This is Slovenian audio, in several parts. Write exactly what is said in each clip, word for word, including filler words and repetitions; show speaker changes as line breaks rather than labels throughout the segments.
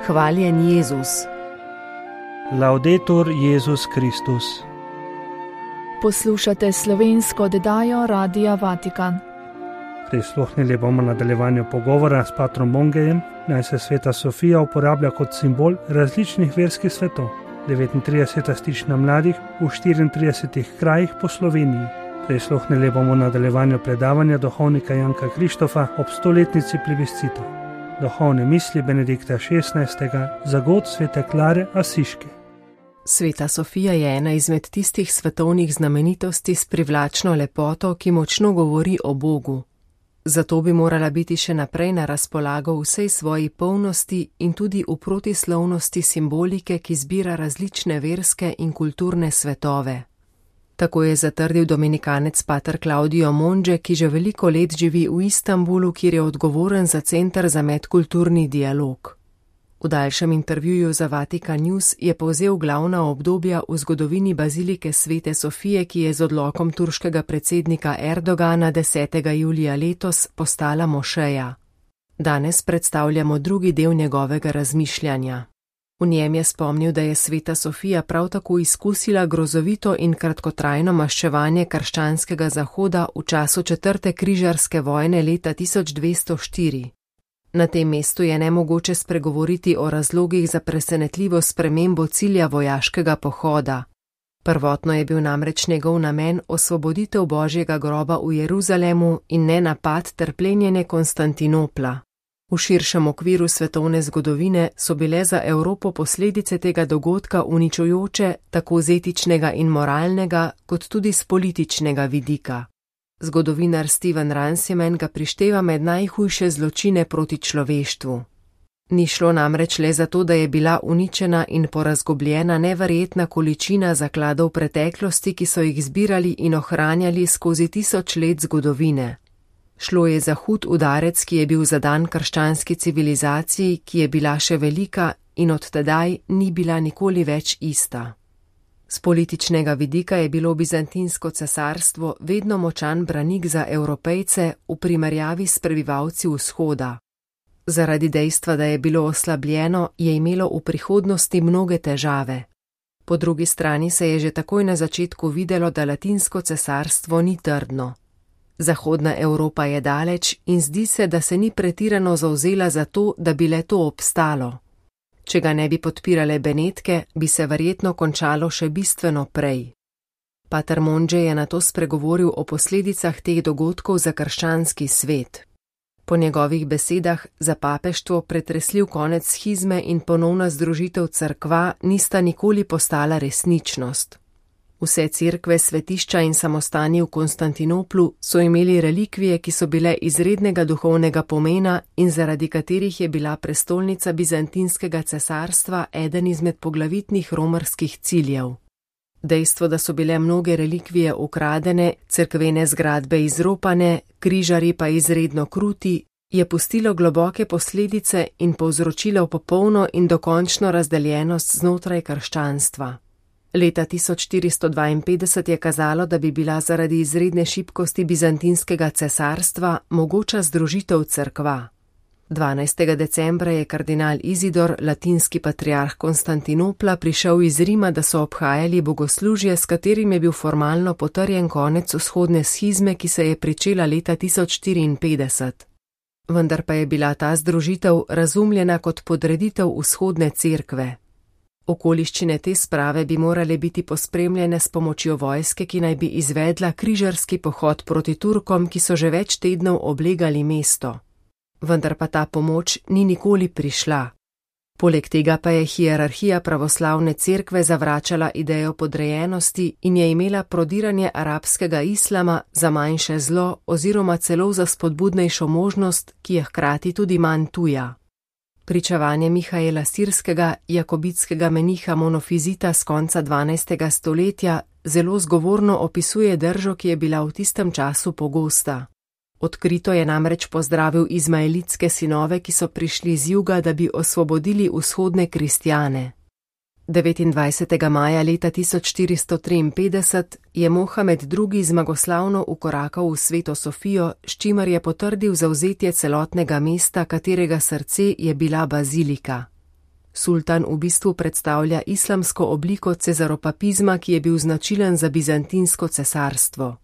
Hvaljen Jezus.
Laudetur Jezus Kristus.
Poslušate slovensko oddajo Radia Vatikan.
Prisluhnili bomo nadaljevanju pogovora s patrom Mongejem, naj se sveta Sofija uporablja kot simbol različnih verskih svetov. devetintrideseta stična mladih v štiriintridesetih krajih po Sloveniji. Prisluhnili bomo nadaljevanju predavanja duhovnika Janka Krištofa ob stoletnici plebiscita. Duhovne misli Benedikta šestnajstega za god svete Klare Asiške.
Sveta Sofija je ena izmed tistih svetovnih znamenitosti s privlačno lepoto, ki močno govori o Bogu. Zato bi morala biti še naprej na razpolago vsej svoji polnosti in tudi v protislovnosti simbolike, ki zbira različne verske in kulturne svetove. Tako je zatrdil dominikanec pater Claudio Monge, ki že veliko let živi v Istanbulu, kjer je odgovoren za Center za medkulturni dialog. V daljšem intervjuju za Vatikan News je povzel glavna obdobja v zgodovini bazilike Svete Sofije, ki je z odlokom turškega predsednika Erdogana desetega julija letos postala mošeja. Danes predstavljamo drugi del njegovega razmišljanja. V njem je spomnil, da je Sveta Sofija prav tako izkusila grozovito in kratkotrajno maščevanje krščanskega zahoda v času četrte križarske vojne leta tisoč dvesto štiri. Na tem mestu je nemogoče spregovoriti o razlogih za presenetljivo spremembo cilja vojaškega pohoda. Prvotno je bil namreč njegov namen osvoboditev Božjega groba v Jeruzalemu in ne napad ter plenjenje Konstantinopla. V širšem okviru svetovne zgodovine so bile za Evropo posledice tega dogodka uničujoče tako z etičnega in moralnega, kot tudi z političnega vidika. Zgodovinar Steven Runciman ga prišteva med najhujše zločine proti človeštvu. Ni šlo namreč le za to, da je bila uničena in porazgobljena neverjetna količina zakladov preteklosti, ki so jih zbirali in ohranjali skozi tisoč let zgodovine. Šlo je za hud udarec, ki je bil zadan krščanski civilizaciji, ki je bila še velika in od tedaj ni bila nikoli več ista. Z političnega vidika je bilo Bizantinsko cesarstvo vedno močan branik za Evropejce v primerjavi s prebivalci vzhoda. Zaradi dejstva, da je bilo oslabljeno, je imelo v prihodnosti mnoge težave. Po drugi strani se je že takoj na začetku videlo, da Latinsko cesarstvo ni trdno. Zahodna Evropa je daleč in zdi se, da se ni pretirano zavzela za to, da bi le to obstalo. Če ga ne bi podpirale Benetke, bi se verjetno končalo še bistveno prej. Pater Monge je nato spregovoril o posledicah teh dogodkov za krščanski svet. Po njegovih besedah za papeštvo pretresljiv konec schizme in ponovna združitev cerkva nista nikoli postala resničnost. Vse cerkve, svetišča in samostani v Konstantinoplu so imeli relikvije, ki so bile izrednega duhovnega pomena in zaradi katerih je bila prestolnica Bizantinskega cesarstva eden izmed poglavitnih romarskih ciljev. Dejstvo, da so bile mnoge relikvije ukradene, cerkvene zgradbe izropane, križarji pa izredno kruti, je pustilo globoke posledice in povzročilo popolno in dokončno razdeljenost znotraj krščanstva. Leta tisoč štiristo dvainpetdeset je kazalo, da bi bila zaradi izredne šibkosti Bizantinskega cesarstva mogoča združitev cerkva. dvanajstega decembra je kardinal Izidor, latinski patriarh Konstantinopla, prišel iz Rima, da so obhajali bogoslužje, s katerim je bil formalno potrjen konec vzhodne schizme, ki se je pričela leta tisoč štiriinpetdeset. Vendar pa je bila ta združitev razumljena kot podreditev vzhodne cerkve. Okoliščine te sprave bi morale biti pospremljene s pomočjo vojske, ki naj bi izvedla križarski pohod proti Turkom, ki so že več tednov oblegali mesto. Vendar pa ta pomoč ni nikoli prišla. Poleg tega pa je hierarhija pravoslavne cerkve zavračala idejo podrejenosti in je imela prodiranje arabskega islama za manjše zlo oziroma celo za spodbudnejšo možnost, ki je hkrati tudi manj tuja. Pričevanje Mihaela Sirskega, jakobitskega meniha monofizita z konca dvanajstega stoletja, zelo zgovorno opisuje držo, ki je bila v tistem času pogosta. Odkrito je namreč pozdravil izmaelitske sinove, ki so prišli z juga, da bi osvobodili vzhodne kristjane. devetindvajsetega maja leta tisoč štiristo triinpetdeset je Mohamed drugi zmagoslavno ukorakal v Sveto Sofijo, s čimer je potrdil zavzetje celotnega mesta, katerega srce je bila bazilika. Sultan v bistvu predstavlja islamsko obliko cesaropapizma, ki je bil značilen za bizantinsko cesarstvo.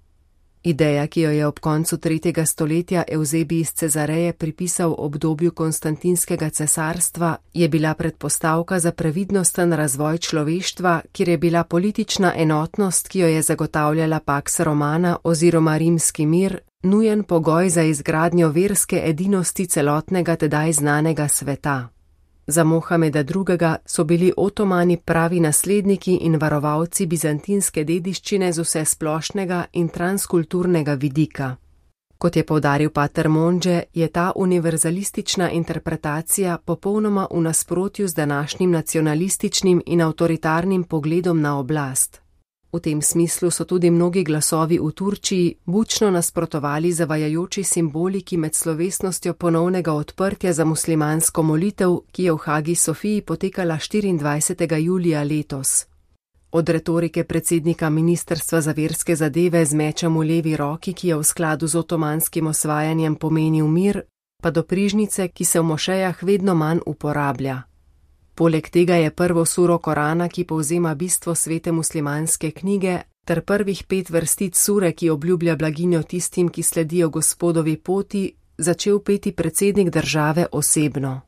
Ideja, ki jo je ob koncu tretjega stoletja Evzebij iz Cezareje pripisal obdobju konstantinskega cesarstva, je bila predpostavka za previdnosten razvoj človeštva, kjer je bila politična enotnost, ki jo je zagotavljala Pax Romana oziroma rimski mir, nujen pogoj za izgradnjo verske edinosti celotnega tedaj znanega sveta. Za Mohameda drugega so bili Otomani pravi nasledniki in varovalci bizantinske dediščine z vsesplošnega in transkulturnega vidika. Kot je poudaril pater Monge, je ta univerzalistična interpretacija popolnoma v nasprotju z današnjim nacionalističnim in avtoritarnim pogledom na oblast. V tem smislu so tudi mnogi glasovi v Turčiji bučno nasprotovali zavajajoči simboliki med slovesnostjo ponovnega odprtja za muslimansko molitev, ki je v Hagi Sofiji potekala štiriindvajsetega julija letos. Od retorike predsednika Ministrstva za verske zadeve z mečem v levi roki, ki je v skladu z otomanskim osvajanjem pomenil mir, pa do prižnice, ki se v mošejah vedno manj uporablja. Poleg tega je prvo suro Korana, ki povzema bistvo svete muslimanske knjige, ter prvih pet vrstic sure, ki obljublja blaginjo tistim, ki sledijo Gospodovi poti, začel peti predsednik države osebno.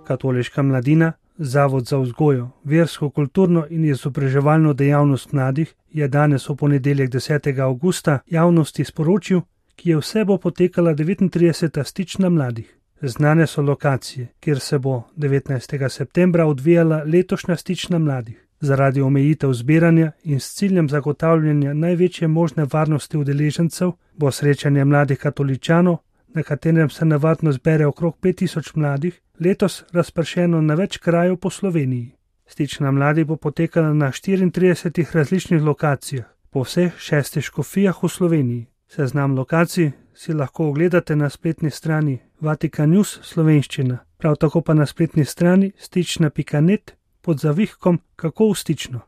Katoliška mladina, Zavod za vzgojo, versko, kulturno in izobraževalno dejavnost mladih je danes v ponedeljek desetega avgusta javnosti sporočil, ki je vse bo potekala devetintrideseta stična mladih. Znane so lokacije, kjer se bo devetnajstega septembra odvijala letošnja stična mladih. Zaradi omejitev zbiranja in s ciljem zagotavljanja največje možne varnosti udeležencev bo srečanje mladih katoličanov, na katerem se navadno zbere okrog pet tisoč mladih, letos razpršeno na več krajev po Sloveniji. Stična mladih bo potekala na štiriintridesetih različnih lokacijah, po vseh šestih škofijah v Sloveniji. Seznam lokacij si lahko ogledate na spletni strani Vatikan News slovenščina, prav tako pa na spletni strani stična pika net pod zavihkom Kako v stično.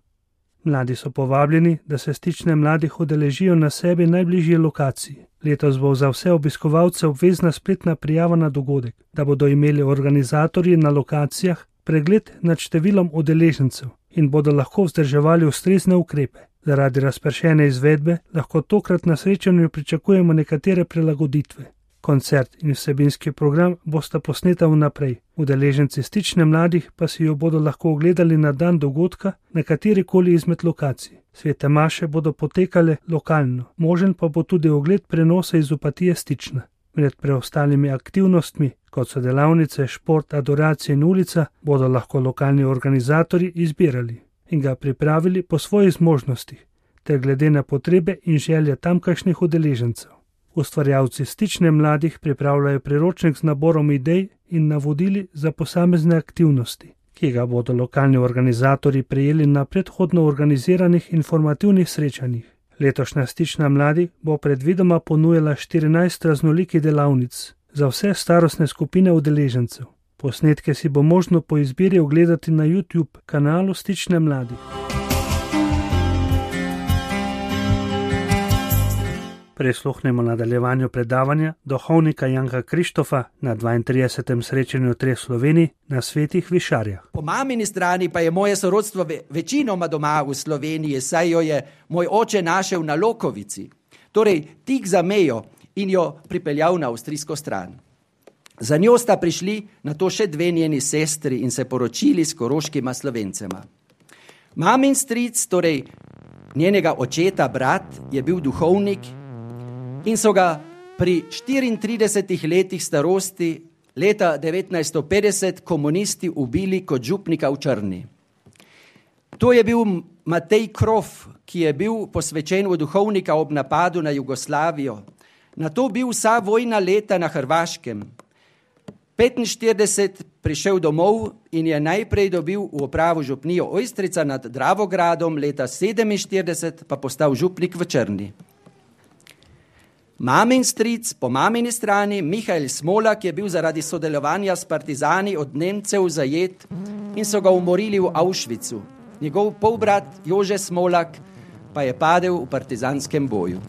Mladi so povabljeni, da se stične mladih udeležijo na sebi najbližje lokaciji. Letos bo za vse obiskovalce obvezna spletna prijava na dogodek, da bodo imeli organizatorji na lokacijah pregled nad številom udeležencev in bodo lahko vzdrževali ustrezne ukrepe. Zaradi razpršene izvedbe lahko tokrat na srečanju pričakujemo nekatere prilagoditve. Koncert in vsebinski program bosta posneta vnaprej. Udeleženci stične mladih pa si jo bodo lahko ogledali na dan dogodka na katerikoli izmed lokacij. Svete maše bodo potekale lokalno, možen pa bo tudi ogled prenosa iz Opatije stična. Med preostalimi aktivnostmi, kot so delavnice, šport, adoracija in ulica, bodo lahko lokalni organizatorji izbirali in ga pripravili po svojih zmožnostih, ter glede na potrebe in želje tamkajšnjih udeležencev. Ustvarjalci stične mladih pripravljajo priročnik z naborom idej in navodili za posamezne aktivnosti, ki ga bodo lokalni organizatorji prejeli na predhodno organiziranih informativnih srečanjih. Letošnja stična mladih bo predvidoma ponujala štirinajst raznolikih delavnic za vse starostne skupine udeležencev. Posnetke si bo možno po izbiri ogledati na YouTube kanalu Stične mladih. Prisluhnemo nadaljevanju predavanja duhovnika Janka Krištofa na dvaintridesetem srečanju treh Slovenij na Svetih Višarjah.
Po mamini strani pa je moje sorodstvo večinoma doma v Sloveniji, saj jo je moj oče našel na Lokovici, torej tik za mejo, in jo pripeljal na avstrijsko stran. Za njo sta prišli na to še dve njeni sestri in se poročili s koroškima Slovencema. Mamin stric, torej njenega očeta brat, je bil duhovnik in so ga pri štiriintridesetih letih starosti leta devetnajststo petdeset komunisti ubili kot župnika v Črni. To je bil Matej Krof, ki je bil posvečen v duhovnika ob napadu na Jugoslavijo. Na to bil vsa vojna leta na Hrvaškem. petinštirideset prišel domov in je najprej dobil v upravo župnijo Ojstrica nad Dravogradom, leta sedeminštirideset pa postal župnik v Črni. Mamin stric po mamini strani, Mihael Smolak, je bil zaradi sodelovanja s partizani od Nemcev zajet in so ga umorili v Auschwitzu. Njegov polbrat Jože Smolak pa je padel v partizanskem boju.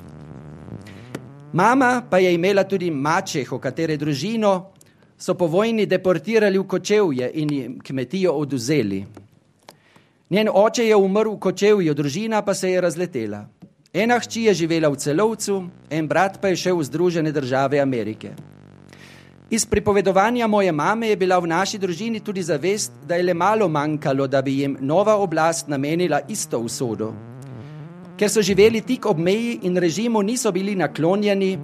Mama pa je imela tudi mačeho, katere družino so po vojni deportirali v Kočevje in jim kmetijo oduzeli. Njen oče je umrl v Kočevju, družina pa se je razletela. Ena hči je živela v Celovcu, en brat pa je šel v Združene države Amerike. Iz pripovedovanja moje mame je bila v naši družini tudi zavest, da je le malo manjkalo, da bi jim nova oblast namenila isto usodo. Ker so živeli tik ob meji in režimu niso bili naklonjeni,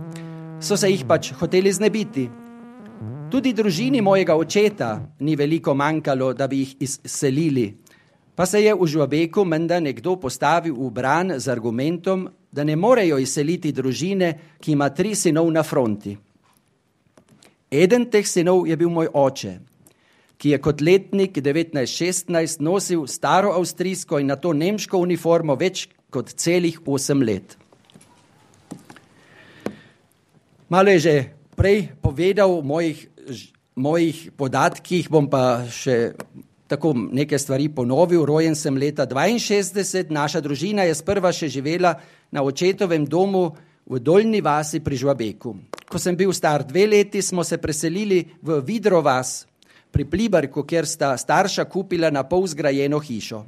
so se jih pač hoteli znebiti. Tudi družini mojega očeta ni veliko manjkalo, da bi jih izselili, pa se je v Žvabeku menda nekdo postavil v bran z argumentom, da ne morejo izseliti družine, ki ima tri sinov na fronti. Eden teh sinov je bil moj oče, ki je kot letnik devetnajst šestnajst nosil staro avstrijsko in nato nemško uniformo več kot celih osem let. Malo je že prej povedal o mojih, mojih podatkih, bom pa še tako neke stvari ponovil. Rojen sem leta dvainšestdeset, naša družina je sprva še živela na očetovem domu v Doljni vasi pri Žvabeku. Ko sem bil star dve leti, smo se preselili v Vidro vas pri Pliberku, kjer sta starša kupila na pol zgrajeno hišo.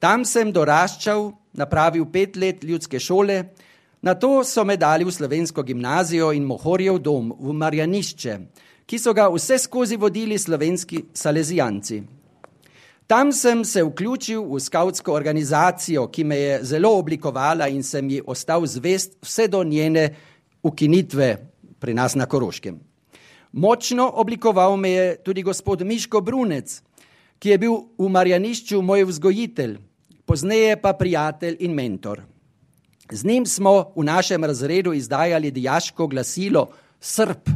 Tam sem doraščal, napravil pet let ljudske šole, nato so me dali v slovensko gimnazijo in Mohorjev dom v Marjanišče, ki so ga vse skozi vodili slovenski salezijanci. Tam sem se vključil v skavtsko organizacijo, ki me je zelo oblikovala in sem ji ostal zvest vse do njene ukinitve pri nas na Koroškem. Močno oblikoval me je tudi gospod Miško Brunec, ki je bil v Marjanišču moj vzgojitelj, pozneje pa prijatelj in mentor. Z njim smo v našem razredu izdajali dijaško glasilo Srb,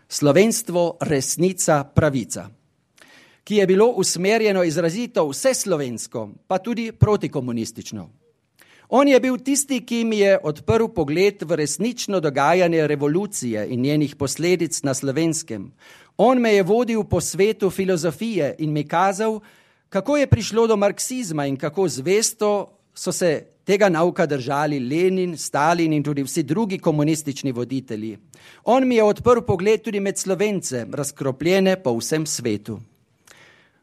slovenstvo, resnica, pravica, ki je bilo usmerjeno izrazito vse slovensko, pa tudi protikomunistično. On je bil tisti, ki mi je odprl pogled v resnično dogajanje revolucije in njenih posledic na Slovenskem. On me je vodil po svetu filozofije in mi kazal, kako je prišlo do marksizma in kako zvesto so se tega nauka držali Lenin, Stalin in tudi vsi drugi komunistični voditelji. On mi je odprl pogled tudi med Slovence, razkropljene po vsem svetu.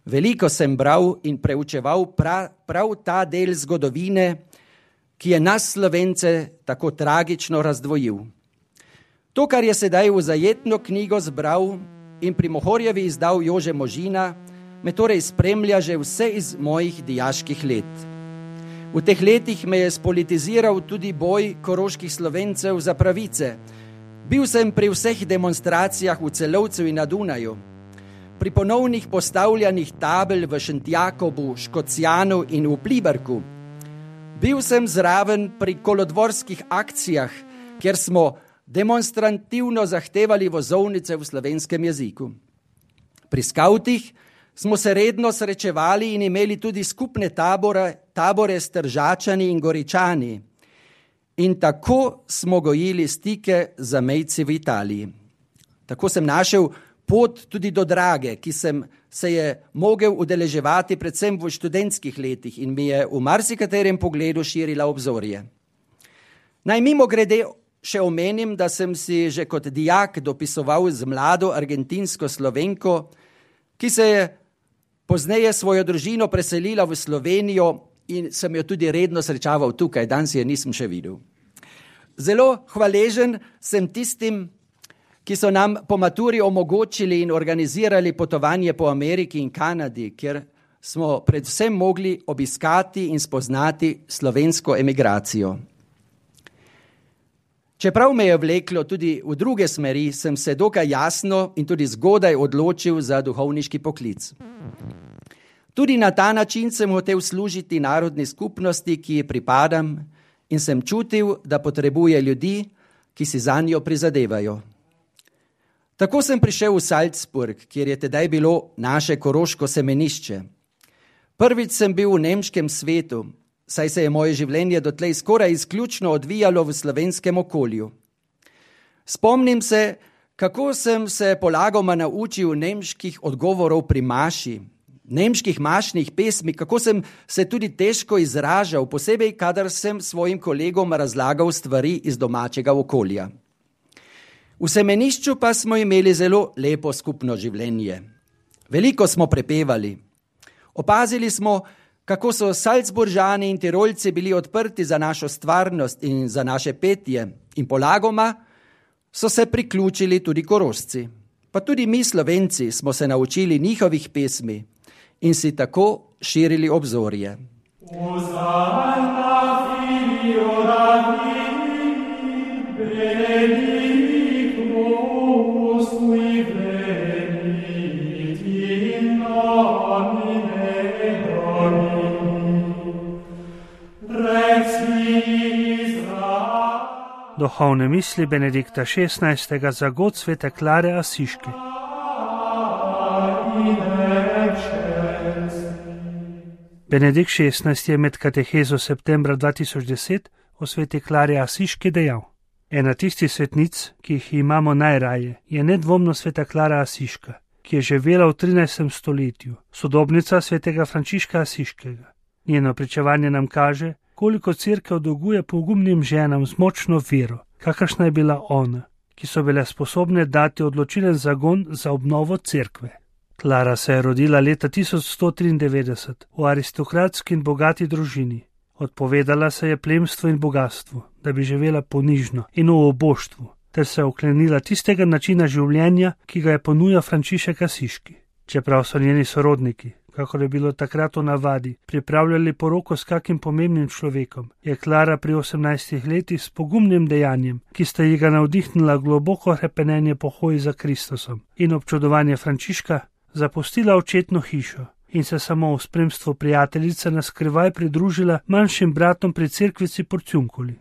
Veliko sem bral in preučeval prav, prav ta del zgodovine, ki je nas Slovence tako tragično razdvojil. To, kar je sedaj v zajetno knjigo zbral in pri Mohorjevi izdal Jože Možina, me torej spremlja že vse iz mojih dijaških let. V teh letih me je spolitiziral tudi boj koroških Slovencev za pravice. Bil sem pri vseh demonstracijah v Celovcu in na Dunaju, pri ponovnih postavljanih tabel v Šentjakobu, Škocjanu in v Pliberku. Bil sem zraven pri kolodvorskih akcijah, kjer smo demonstrativno zahtevali vozovnice v slovenskem jeziku. Pri skavtih smo se redno srečevali in imeli tudi skupne tabore, tabore s Tržačani in Goričani. In tako smo gojili stike z zamejci v Italiji. Tako sem našel pot tudi do Drage, ki sem se je mogel udeleževati predvsem v študentskih letih in mi je v marsikaterem pogledu širila obzorje. Naj mimo grede še omenim, da sem si že kot dijak dopisoval z mlado argentinsko Slovenko, ki se je pozneje svojo družino preselila v Slovenijo in sem jo tudi redno srečaval tukaj, danes je nisem še videl. Zelo hvaležen sem tistim, ki so nam po maturi omogočili in organizirali potovanje po Ameriki in Kanadi, kjer smo predvsem mogli obiskati in spoznati slovensko emigracijo. Čeprav me je vleklo tudi v druge smeri, sem se dokaj jasno in tudi zgodaj odločil za duhovniški poklic. Tudi na ta način sem hotel služiti narodni skupnosti, ki ji pripadam, in sem čutil, da potrebuje ljudi, ki si zanjo prizadevajo. Tako sem prišel v Salzburg, kjer je tedaj bilo naše koroško semenišče. Prvič sem bil v nemškem svetu, saj se je moje življenje dotlej skoraj izključno odvijalo v slovenskem okolju. Spomnim se, kako sem se polagoma naučil nemških odgovorov pri maši, nemških mašnih pesmi, kako sem se tudi težko izražal, posebej, kadar sem svojim kolegom razlagal stvari iz domačega okolja. V semenišču pa smo imeli zelo lepo skupno življenje. Veliko smo prepevali. Opazili smo, kako so Salzburžani in Tirolci bili odprti za našo stvarnost in za naše petje in polagoma so se priključili tudi Korošci. Pa tudi mi Slovenci smo se naučili njihovih pesmi in si tako širili obzorje.
Duhovne misli Benedikta šestnajstega za god svete Klare Asiške. Benedikt šestnajsti je med katehezo septembra dva tisoč deset o sveti Klari Asiški dejal: Ena tistih svetnic, ki jih imamo najraje, je nedvomno sveta Klara Asiška, ki je živela v trinajstem stoletju, sodobnica svetega Frančiška Asiškega. Njeno pričevanje nam kaže, koliko cerkev dolguje pogumnim ženam z močno vero, kakršna je bila ona, ki so bile sposobne dati odločilen zagon za obnovo cerkve. Klara se je rodila leta tisoč sto triindevetdeset v aristokratski in bogati družini. Odpovedala se je plemstvu in bogatstvu, da bi živela ponižno in v oboštvu, ter se oklenila tistega načina življenja, ki ga je ponujal Frančišek Asiški. Čeprav so njeni sorodniki, kakor je bilo takrat v navadi, pripravljali poroko s kakim pomembnim človekom, je Klara pri osemnajstih letih s pogumnim dejanjem, ki sta ji ga navdihnila globoko hrepenenje po hoji za Kristusom in občudovanje Frančiška, zapustila očetno hišo in se samo v spremstvu prijateljice na skrivaj pridružila manjšim bratom pri cerkvici Porciunkuli.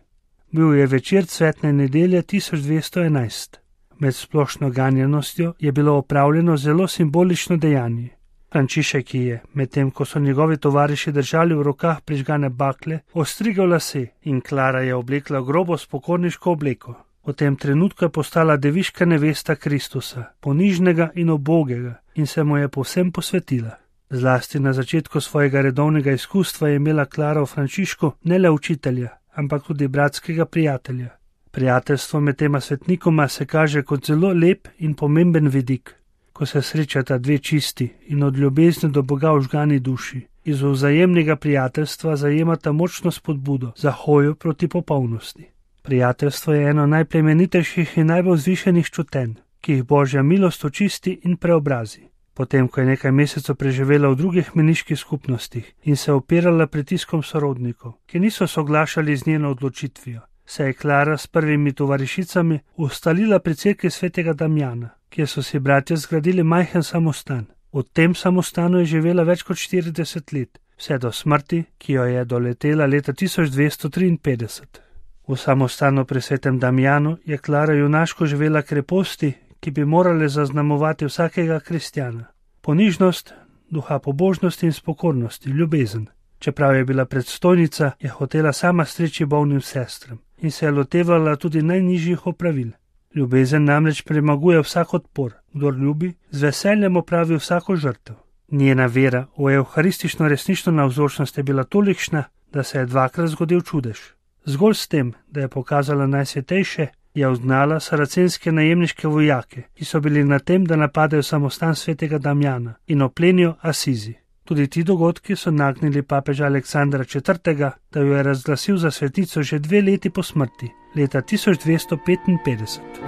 Bil je večer cvetne nedelje tisoč dvesto enajst. Med splošno ganjenostjo je bilo opravljeno zelo simbolično dejanje. Frančišek je, medtem ko so njegovi tovariši držali v rokah prižgane bakle, ostrigal lase in Klara je oblekla grobo spokorniško obleko. V tem trenutku je postala deviška nevesta Kristusa, ponižnega in ubogega, in se mu je povsem posvetila. Zlasti na začetku svojega redovnega izkustva je imela Klara v Frančišku ne le učitelja, ampak tudi bratskega prijatelja. Prijateljstvo med tema svetnikoma se kaže kot zelo lep in pomemben vidik, ko se srečata dve čisti in od ljubezni do Boga vžgani duši. Iz vzajemnega prijateljstva zajemata močno spodbudo za hojo proti popolnosti. Prijateljstvo je eno najplemenitejših in najbolj vzvišenih čutenj, ki jih Božja milost očisti in preobrazi. Potem, ko je nekaj mesecev preživela v drugih meniških skupnostih in se opirala pritiskom sorodnikov, ki niso soglašali z njeno odločitvijo, se je Klara s prvimi tovarišicami ustalila pri cerkvi svetega Damjana, kjer so si bratje zgradili majhen samostan. V tem samostanu je živela več kot štirideset let, vse do smrti, ki jo je doletela leta tisoč dvesto triinpetdeset. V samostanu pri svetem Damjanu je Klara junaško živela kreposti, ki bi morale zaznamovati vsakega kristjana. Ponižnost, duha pobožnosti in spokornosti, ljubezen. Čeprav je bila predstojnica, je hotela sama streči bolnim sestram in se je lotevala tudi najnižjih opravil. Ljubezen namreč premaguje vsak odpor, kdor ljubi, z veseljem opravi vsako žrtev. Njena vera v evharistično resnično navzočnost je bila tolikšna, da se je dvakrat zgodil čudež. Zgolj s tem, da je pokazala najsvetejše, je uznala saracenske najemniške vojake, ki so bili na tem, da napadejo samostan svetega Damjana in oplenijo Asizi. Tudi ti dogodki so nagnili papeža Aleksandra četrtega, da jo je razglasil za svetnico že dve leti po smrti, leta tisoč dvesto petinpetdeset.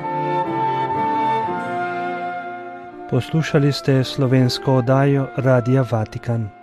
Poslušali ste slovensko oddajo Radia Vatikan.